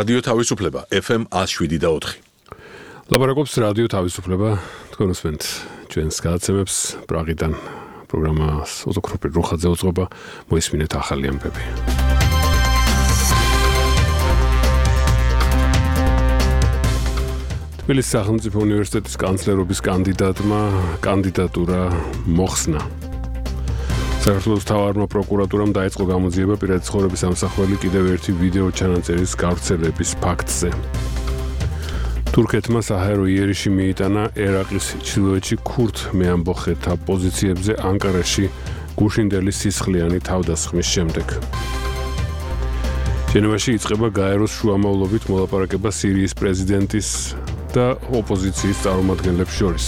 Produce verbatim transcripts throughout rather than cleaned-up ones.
რადიო თავისუფლება ეფ ემ one oh seven და four. ლაპარაკობს რადიო თავისუფლება, თქვენ უსმენთ ჩვენს გადაცემებს პრაღიდან პროგრამას ოზოქროპი რუხაძე უძღვება, მოისმინეთ ახალი ამბები. თბილისის სახელმწიფო უნივერსიტეტის კანცლერობის კანდიდატმა კანდიდატურა მოხსნა. საქართველოს მთავარმა პროკურატურამ დაიწყო გამოძიება პირადი ცხოვრების ამსახველი კიდევ ერთი ვიდეო ჩანაწერის გავრცელების ფაქტზე. თურქეთმა საჰაერო იერიში მიიტანა ერაყის ჩრდილოეთში ქურთ მეამბოხეთა პოზიციებზე ანკარაში გუშინდელი სისხლიანი თავდასხმის შემდეგ. ჟენევაში იწყება გაეროს შუამავლობით მოლაპარაკება სირიის პრეზიდენტის და ოპოზიციის წარმომადგენლებს შორის.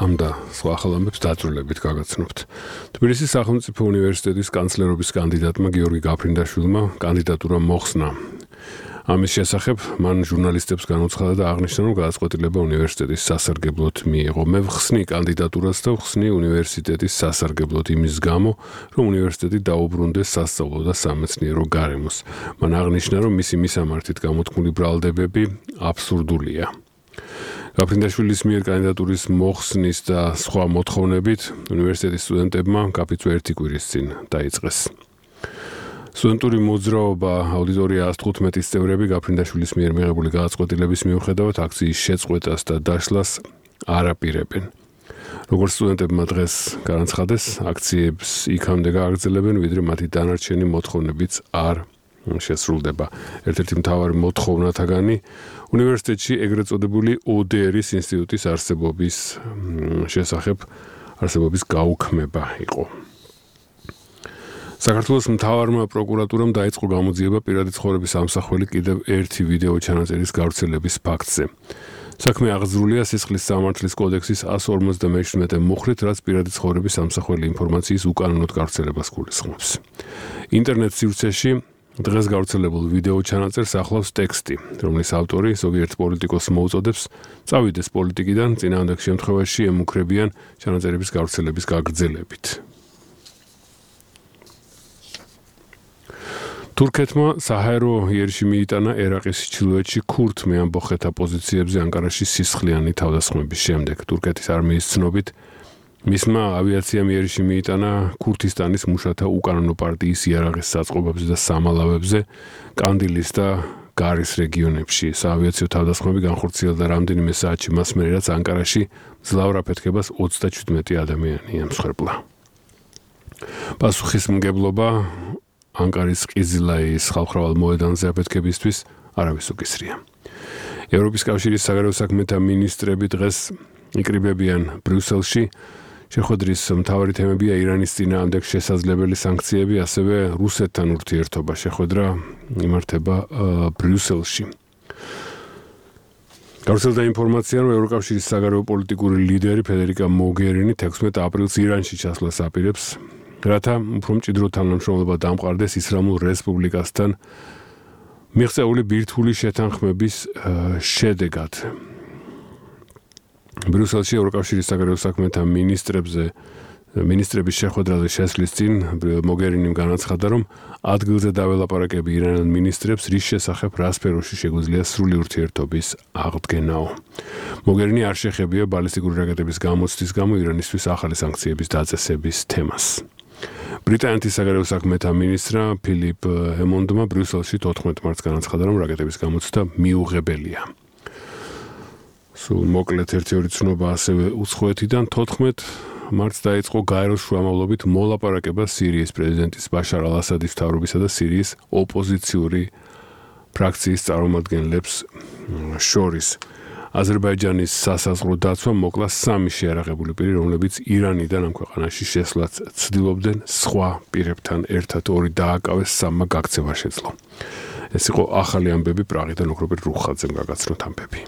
ამ და სხვა ახალ ამბებს დაწვრილებით გაგაცნობთ. თბილისის სახელმწიფო უნივერსიტეტის კანცლერობის კანდიდატმა გიორგი გაფრინდაშვილმა კანდიდატურა მოხსნა. ამის შესახებ მან ჟურნალისტებს განუცხადა და აღნიშნა, რომ გადაწყვეტილება უნივერსიტეტის სასარგებლოდ მიიღო. მე ვხსნი კანდიდატურას და ვხსნი უნივერსიტეტის სასარგებლოდ იმის გამო, რომ უნივერსიტეტი დაუბრუნდეს სასწავლო და სამეცნიერო გარემოს. მან აღნიშნა, რომ მისი მისამართით გამოთქმული ბრალდებები აბსურდულია. გაფრინდაშვილის მიერ კანდიდატურის მოხსნის და სხვა მოთხოვნებით უნივერსიტეტის სტუდენტებმა კაფიწვე ერთი კვირის წინ დაიწყეს. სტუდენტური მოძრაობა აუდიტორია one fifteen წევრები გაფრინდაშვილის მიერ მიღებული გადაწყვეტილების მიუხედავად აქციის შეწყვეტას და დაშლას არ აპირებენ. როგორც სტუდენტებმა დღეს განაცხადეს, აქციებს იქამდე გააგრძელებენ, ვიდრე მათი დანარჩენი მოთხოვნებიც არ შესრულდება. ერთ-ერთი მთავარი მოთხოვნათაგანი უნივერსიტეტში ეგრეთ წოდებული ო დე ერის ინსტიტუტის არსებობის შესახებ არსებობის გაუქმება იყო. საქართველოს მთავარმა პროკურატურამ დაიწყო გამოძიება პირადი ცხოვრების ამსახველი კიდევ ერთი ვიდეო ჩანაწერის გავრცელების ფაქტზე. საქმე აღძრულია სისხლის სამართლის კოდექსის one forty-seven მუხრით, რაც პირადი ცხოვრების ამსახველი ინფორმაციის უკანონოდ გავრცელებას გულისხმობს. ინტერნეტ სივრცეში დღეს გავრცელებულ ვიდეო ჩანაწერს ახლავს ტექსტი, რომლის ავტორი ზოგიერთ პოლიტიკოსს მოუწოდებს წავიდეს პოლიტიკიდან, წინააღმდეგ შემთხვევაში ემუქრებიან ჩანაწერების გავრცელების გაგრძელებით. თურქეთმა საჰაერო იერიში მიიტანა ერაყის ჩრდილოეთში ქურთ მეამბოხეთა პოზიციებზე ანკარაში სისხლიანი თავდასხმების შემდეგ. თურქეთის არმიის ცნობით მისმა ავიაციამ იერიში მიიტანა ქურთისტანის მუშათა უკანონო პარტიის იარაღის საწყობებზე და სამალავებზე კანდილის და გარის რეგიონებში. საავიაციო თავდასხმები განხორციელდა რამდენიმე საათში მას მერე, რაც ანკარაში მძლავრ აფეთქებას ოცდაჩვიდმეტი ადამიანი ემსხვერპლა. პასუხისმგებლობა ანკარის ყიზილაიის ხალხმრავალ მოედანზე აფეთქებისთვის არავის უკისრია. ევროპის კავშირის საგარეო საქმეთა მინისტრები დღეს იკრიბებიან ბრიუსელში. შეხვედრის მთავარი თემებია ირანის წინააღმდეგ შესაძლებელი სანქციები, ასევე რუსეთთან ურთიერთობა. შეხვედრა იმართება ბრიუსელში. გავრცელდა ინფორმაცია, რომ ევროკავშირის საგარეო პოლიტიკური ლიდერი ფედერიკა მოგერინი თექვსმეტ აპრილს ირანში ჩასვლას აპირებს, რათა უფრო მჭიდრო თანამშრომლობა დამყარდეს ისლამურ რესპუბლიკასთან მიღწეული ბირთვული შეთანხმების შედეგად. ბრიუსელში ევროკავშირის საგარეო საქმეთა მინისტრებზე მინისტრების შეხვედრაზე შესვლის წინ მოგერინიმ განაცხადა, რომ ადგილზე დაველაპარაკები ირანელ მინისტრებს, რის შესახებ რა სფეროში შეგვიძლია სრული ურთიერთობის აღდგენაო. მოგერინი არ შეხებია ბალისტიკური რაკეტების გამოცდის გამო ირანისთვის ახალი სანქციების დაწესების თემას. ბრიტანეთის საგარეო საქმეთა მინისტრა ფილიპ ჰემონდმა ბრიუსელში თოთხმეტ მარტს განაცხადა, რომ რაკეტების გამოცდა მიუღებელია. სულ მოკლედ ერთი-ორი ცნობა ასევე უცხოეთიდან თოთხმეტ მარტს დაიწყო გაეროს შუამავლობით მოლაპარაკება სირიის პრეზიდენტის ბაშარ ალ-ასადის მთავრობისა და სირიის ოპოზიციური ფრაქციის წარმომადგენლებს შორის. აზერბაიჯანის სასაზღვრო დაცვა მოკლა სამი შეარაღებული პირი, რომლებიც ირანიდან ამ ქვეყანაში შესვლაც ცდილობდნენ, სხვა პირებთან ერთად ორი დააკავეს, სამმა გაქცევა შეძლო. ეს იყო ახალი ამბები პრაღიდან, ოქროპირ რუხაძემ გაგაცნოთ ამბები.